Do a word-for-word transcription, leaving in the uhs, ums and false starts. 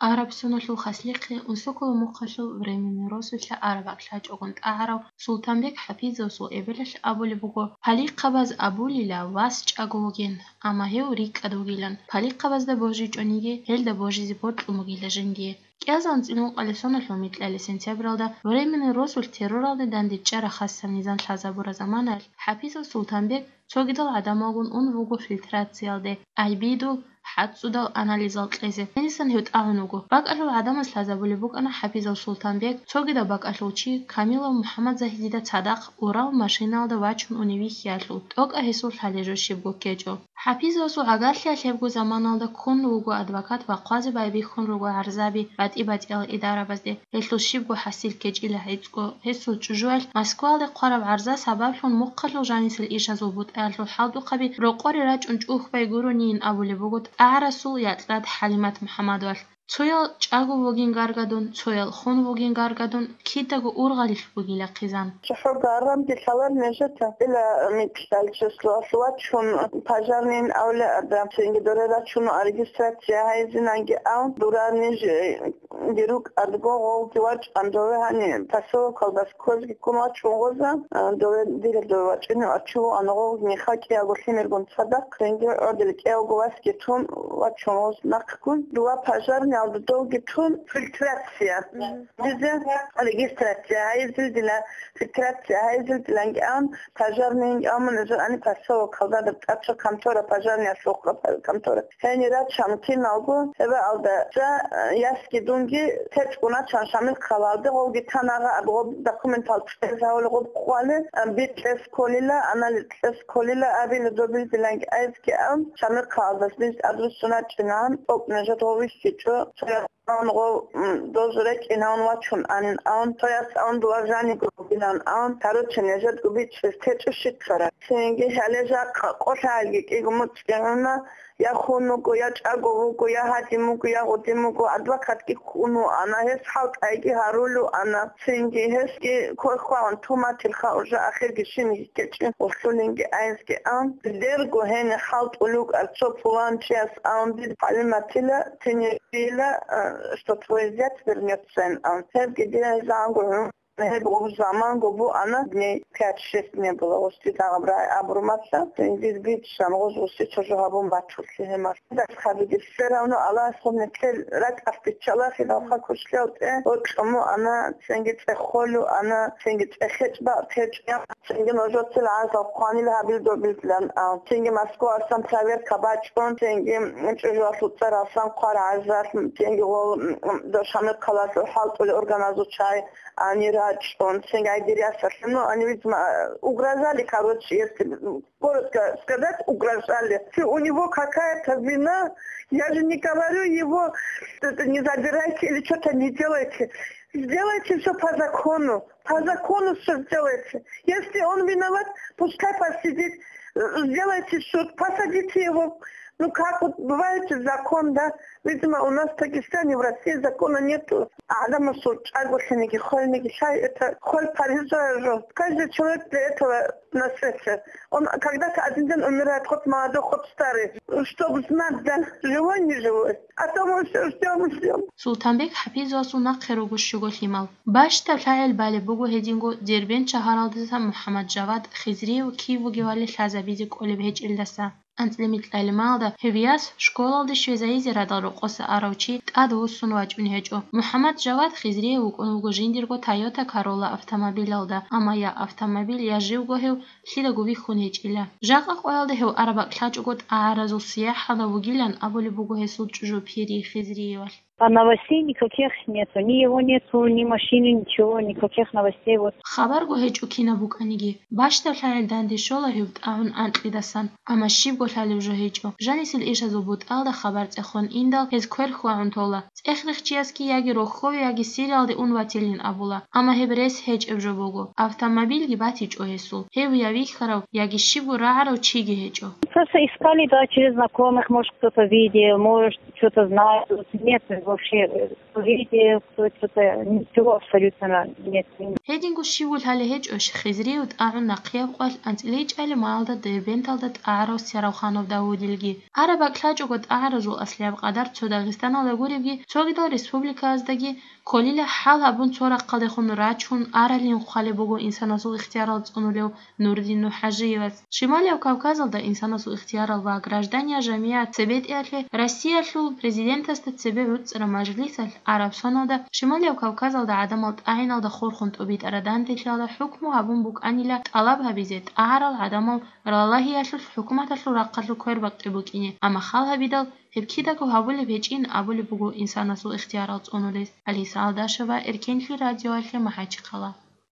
Араб соналъул хаслихъе Унсокола мухъалъул Временный росулъа араб бакӀ лъачӀогун тӀагӀарав Султанбек ХӀапизовасул эбелалъ абулеб буго, палихъабаз абулила вас чӀаго вугин, амма гьев рикӀкӀад вугилан, палихъабазда божичӀониги, гьелда божизе бокьун бугила жиндие. КӀиазда анцӀила ункъалъ соналъул микьалъ сентябралда Временный росулъ терроралде дандечӀараб хасаб низам лъазабураб заманаялъ ХӀапизов Султанбек цогидал гӀадамалгун ун вуго фильтрациялде, гӀайибидул, хӀацӀцӀудал анализал кьезе. Гьенисан гьев тӀагӀун вуго. БакӀалъул гӀадамаз лъазабулеб букӀана ХӀапизов Султанбек, цогидаб бакӀалъул чи Камилов МухӀаммадзагьидида цадахъ урал машинаялда вачун унев вихьиялъул, тӀокӀаб гьесул лъалеб жо щибго ккечӀо. ХӀапизовасул гӀагарлъиялъ гьебго заманалда ккун вуго адвокат ва хъвазе байбихьун руго гӀарзаби батӀи-батӀиял идарабазде. Гьелъул щибго хӀасил ккечӀила гӀицӀго, гьесул чӀужуялъ Москваялде хъвараб гӀарза сабаблъун мухъалъул жанисел ишазул бутӀаялъул хӀалтӀухъаби рокъоре рачӀун чӀухьбай гуронийин абулеб буго тӀагӀарасул якьад ХӀалимат МухӀаммадовалъ. Цоял чӀаго вугин гаргадун, цоял хун вугин гаргадун, кидаго ургъалилъ бугила хъизан. ЦохӀо гарамги лъалар нижеца, дила микьалъ числоялъ вачун, пожарныйин авлияда, цинги доре рачун регистрация гьайзинанги ав, дура ниж, э, ги рукӀадго гъовги вачӀан дове гьани, поселокалдас ккозги ккун вачун гъоза, а, дове дила дове вачӀине вачуго ана гъовги михакӀиялго лъимергун цадахъ, цинги гӀодил кӀиявго васги тун вачун гъоз нахъгун, дова пожарныйялда довги тун фильтрация. Мгм. Дизе регистрация гьайзил дила, фильтрация гьайзил диланги ан, пожарныйинги амун эзер ани поселок халдадаб тӀача контора, пожарныйялъухъа контора. Гьенир рачан киналго, гьебаалда, за, э, ясги дунги течӀгуна чан Шамил хъалалде, гъовги танагъа аб гъоб документал цӀезавули гъоб хъвали, э, битӀес кколила, анали цӀес кколила абила добил диланги айзги ан, Шамил хъалалдас бинс адрусуна чӀинан, тӀокӀ нижат гъовихьичӀо, цоял Ан гъов, м, дозу рекӀинавун вачун анин ан, тояс ан дула жаниго билан ан, короче, нежедго бичӀчӀес течӀо щиккара. Цинги гьале жакъа къолъаялги кӀиго муцӀигӀуна, я хун вуго, я чӀаго вуго, я гьадин вуго, я гъудин вуго, адвокатги ккун вуана, гьес хӀалтӀайги гьарулев ана. Цинги гьесги квехъвагьун туматилха уже ахирги шинги ккечӀин гъулъулинги айзги ан. Дерго гьенир хӀалтӀулев вукӀар цо пуланчияс ан, дир ХӀалиматила, цинги Дила, э, что твой зять вернётся, ан. Гьебги дила гьезда ангургьун, гьеб гъуж заманго бу ана, дней пять-шесть не было, гъусти дагъаб рагӀи абурмаса, цинги биччан, гъуж гъусти чожо гьабун бачулъи гьемар. Дас хабиги, все равно Аллагьас гъуб нилъер ракӀалъ биччалахи, давха кушлъалтӀе, гъоркьому ана, цинги цӀехолу ана, цинги цӀехечӀ бакъ течӀ. Цинги нужецил гӀазал хъванил гьабил добилан, а, цинги Москваялъан проверка бачӀун, цинги чӀужуялъул цӀаралъан хъвар гӀазал, цинги гъол, м, м, Дошамил хъалалъул хӀалтӀулел органазул чагӀи ани рачӀун, цинги гӀайдир ясалъе, ну, они, видимо, угрожали, короче, если коротко сказать, угрожали. Если у него какая-то вина, я же не говорю его, это не забирайте или что-то не делайте. Сделайте всё по закону. По закону всё сделайте. Если он виноват, пускай посидит. Э, сделайте суд, посадите его. Ну как, вот бывает же закон, да? Видимо, у нас в Дагестане, в России закона нету. ГӀадамасул чӀаголъиниги, хвалниги, лъай это хвал париза жо. Каждый человек для этого на свете. Он когда-то один день умирает, хоть молодой, хоть старый. Чтоб знать, да, живой, не живой. А то мы всё ждём и ждём. Султанбек ХӀапизовасул нахъе руго щуго лъимал. Бащдаб лъагӀел балеб буго гьединго Дербент шагьаралдаса МухӀаммад Жавад Хизриев кив вугевали лъазабизе кӀолеб гьечӀелдаса. АнцӀила микьалималда гьев яс школалде щвезайизе радал рокъоса арав чи тӀад вуссун вачӀун гьечӀо. МухӀаммад Жавад Хизриев вукӀун вуго жиндирго Toyota Corolla автомобилалда, амма я автомобиль, я живго гьев лъидаго вихьун гьечӀила. Жакъа къоялда гьев араб бакӀ лъачӀого тӀагӀаразул сияхӀалда вугилан абулеб буго гьесул чӀужу Пири Хизриевалъ. А новостей никаких нету. Ни его нету, ни машины, ничего, никаких новостей. Вот. Хабарго гьечӀо кинаб букӀаниги. Бащдаб лъагӀел данде щола гьев тӀагӀун анкьидасан, амма щибго лъалеб жо гьечӀо. Жанисел ишазул бутӀалда хабар цӀехон индал, гьез квер хьвагӀун тола. ЦӀех-рехчиясги яги рохьове, яги Сириялде ун ватилин абула, амма гьеб рес гьечӀеб жо буго. Автомобильги батичӀо гьесул. Гьев я вихьарав, яги щибго рагӀарав чиги гьечӀо. Просто искали, да, через знакомых, может, кто-то видел, может, что-то знает. Вот нет вообще, э, кто видел, кто что-то, ничего абсолютно нет. Гьединго щивго лъалеб гьечӀо Шихизриев тӀагӀун нахъияб къоялъ анцӀила ичӀабилеб малалда Дербенталда тӀагӀарав Сяралханов Давудилги. Араб бакӀлъачӀого тӀагӀаразул аслияб къадар цо Дагъистаналда гуребги, цогидал республикаяздаги кколила хӀал гьабун цо рахъалдехун рачун аралин хъвалеб буго инсанасул ихтиярал цӀунулев Нурдин НухӀажиевас. Шималияб Кавказалда инсанасул ихтиярал ва граждания жамигӀат цебетӀиялъе Россиялъул Президентасда цебе гӀуцӀараб мажлисалъ араб соналда Шималияб Кавказалда гӀадамал тӀагӀиналда хурхун тӀубитӀара данделъиялда хӀукму гьабун букӀанила тӀалаб гьабизе тӀагӀарал гӀадамал ралагьиялъулъ хӀукуматалъул рахъалъур квербакъи букӀине, амма хал гьабидал, гьеб кидаго гьабулеб гьечӀин абулеб буго инсанасул ихтиярал цӀунулес. Алиса Алдашева, Эркенлъи радиоялъе, МахӀачхъала.